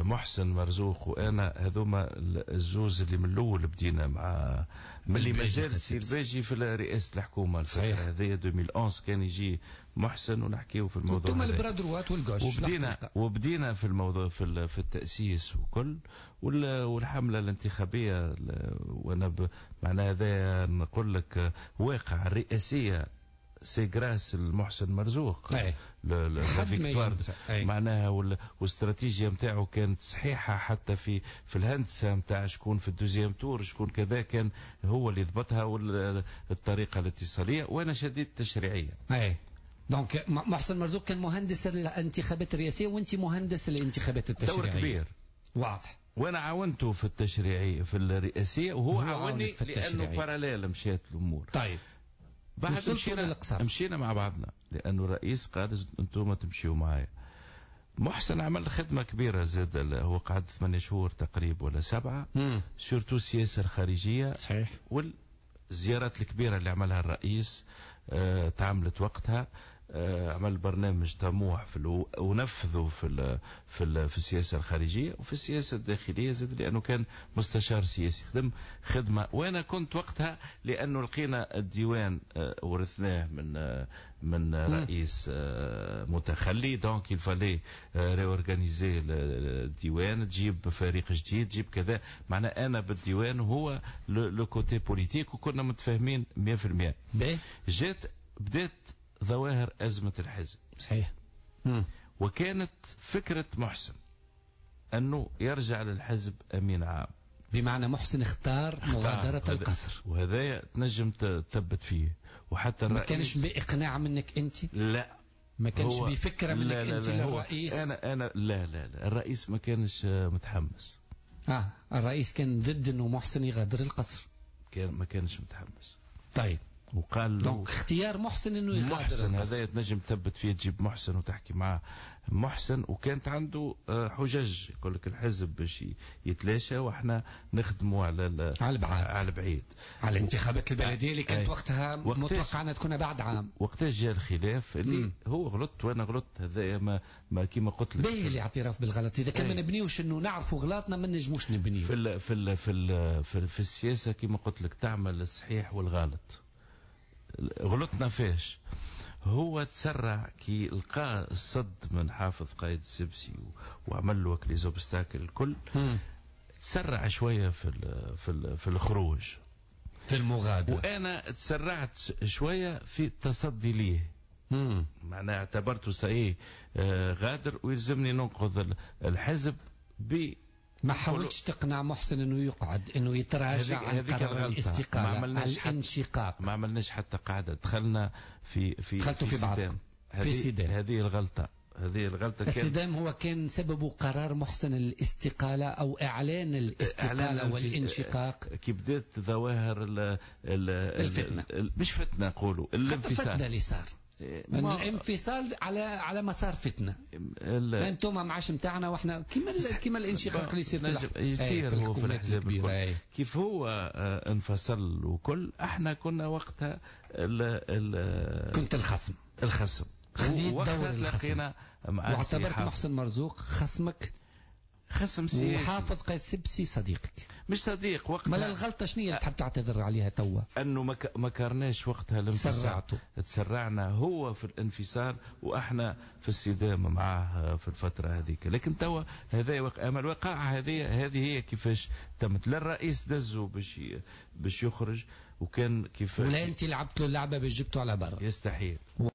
محسن مرزوق وانا هذوما الزوز اللي من الاول بدينا مع من اللي مازال السي الباجي في رئاسة الحكومه. صحيح. هذه 2011 كان يجي محسن ونحكيو في الموضوع. انتم ال bras droit وال gauche. وبدينا في الموضوع في التاسيس وكل والحمله الانتخابيه، وانا معناها هذا نقول لك واقع الرئاسية c'est grâce المحسن مرزوق la victoire معناها، والاستراتيجيه نتاعو كانت صحيحه حتى في الهندسة نتاع شكون في ال deuxième tour شكون كذا، كان هو اللي ضبطها والطريقة الاتصاليه، وانا شديت التشريعيه. اي donc محسن مرزوق كان مهندس الانتخابات الرئاسية وانت مهندس الانتخابات التشريعيه. دور كبير واضح. وانا عاونته في التشريعي في الرئاسيه، وهو عاوني لانه parallèle مشات الامور. طيب بعد مشينا مع بعضنا لانه الرئيس قال انتم تمشيوا معايا. محسن عمل خدمة كبيرة زاد، هو قعد 8 شهور تقريبا ولا 7، surtout السياسة الخارجيه. والزيارات الكبيرة اللي عملها الرئيس تعملت وقتها. عمل برنامج طموح ونفذه في السياسة الخارجية وفي السياسة الداخلية زاد، لانه كان مستشار سياسي خدم خدمه. وانا كنت وقتها لانه لقينا الديوان ورثناه من رئيس متخلي، donc il fallait réorganiser الديوان، تجيب فريق جديد، تجيب كذا. معناها انا بالديوان وهو le côté politique، وكنا متفاهمين 100%. جات بدات ظواهر أزمة الحزب. وكانت فكرة محسن أنه يرجع للحزب أمين عام. بمعنى محسن اختار مغادرة القصر. وهذا تنجم تثبت فيه وحتى الرئيس. ما كانش بإقناع منك أنت؟ لا. ما كانش بفكرة منك؟ لا لا، أنت للرئيس؟ أنا لا لا لا، الرئيس ما كانش متحمس. الرئيس كان ضد أنه محسن يغادر القصر. كان ما كانش متحمس. طيب. وقال له donc اختيار محسن انه يغادر. محسن هذا تنجم تثبت فيه، تجيب محسن وتحكي معاه محسن، وكانت عنده حجج، يقول لك الحزب باش يتلاشى واحنا نخدموا على على البعاد. على البعيد. على الانتخابات البلدية اللي كانت وقتها متوقع انها تكون بعد عام. وقتاش جاء الخلاف اللي هو غلط وانا غلطت، هذا ما كيما قلت لك. باهي الاعتراف بالغلط، اذا كان ما نبنيوش انه نعرفوا غلطنا ما نجموش نبنيو. في السياسة كيما قلت لك تعمل الصحيح والغلط. غلطنا فيش؟ هو تسرع كي لقى الصد من حافظ قايد السبسي وعمل له les obstacles الكل، تسرع شوية في الخروج. في المغادرة. وانا تسرعت شوية في التصدي ليه، معناها اعتبرته ça y est غادر ويلزمني ننقذ الحزب ب ما حاولتش تقنع محسن انه يقعد، انه يتراجع عن قرار الاستقاله، ما الانشقاق؟ ما عملناش حتى قاعده، دخلنا في دخلتوا في بعض. في صدام. هذه الغلطه، هذه الغلطه. الصدام هو كان سببه قرار محسن الاستقالة او اعلان الاستقالة والانشقاق. كي بدات ظواهر ال ال الفتنه. مش فتنه، نقولوا الانفصال. الفتنة اللي صار الانفصال على مسار فتنه، انتم ما عادش نتاعنا واحنا كيما الانشقاق اللي يصير. يصير هو في الاحزاب الكل. كيف هو انفصل وكل، احنا كنا وقتها ال ال كنت الخصم. الخصم. خذيت دور الخصم واعتبرت محسن مرزوق خصمك. خصم سياسي. وحافظ قايد سبسي صديقك. مش صديق وقتها. ما الغلطة شنو اللي تحب تعتذر عليها توا؟ انه ما كرناش وقتها الانفصال. تسرعتوا. تسرعنا، هو في الانفصال واحنا في الصدام معاه في الفترة هذيك. لكن توا هذا اما الوقائع هذه هي كيفاش تمت. لا الرئيس دزه باش يخرج وكان كيف ولا انت لعبت له اللعبة باش جبته على برا. يستحيل.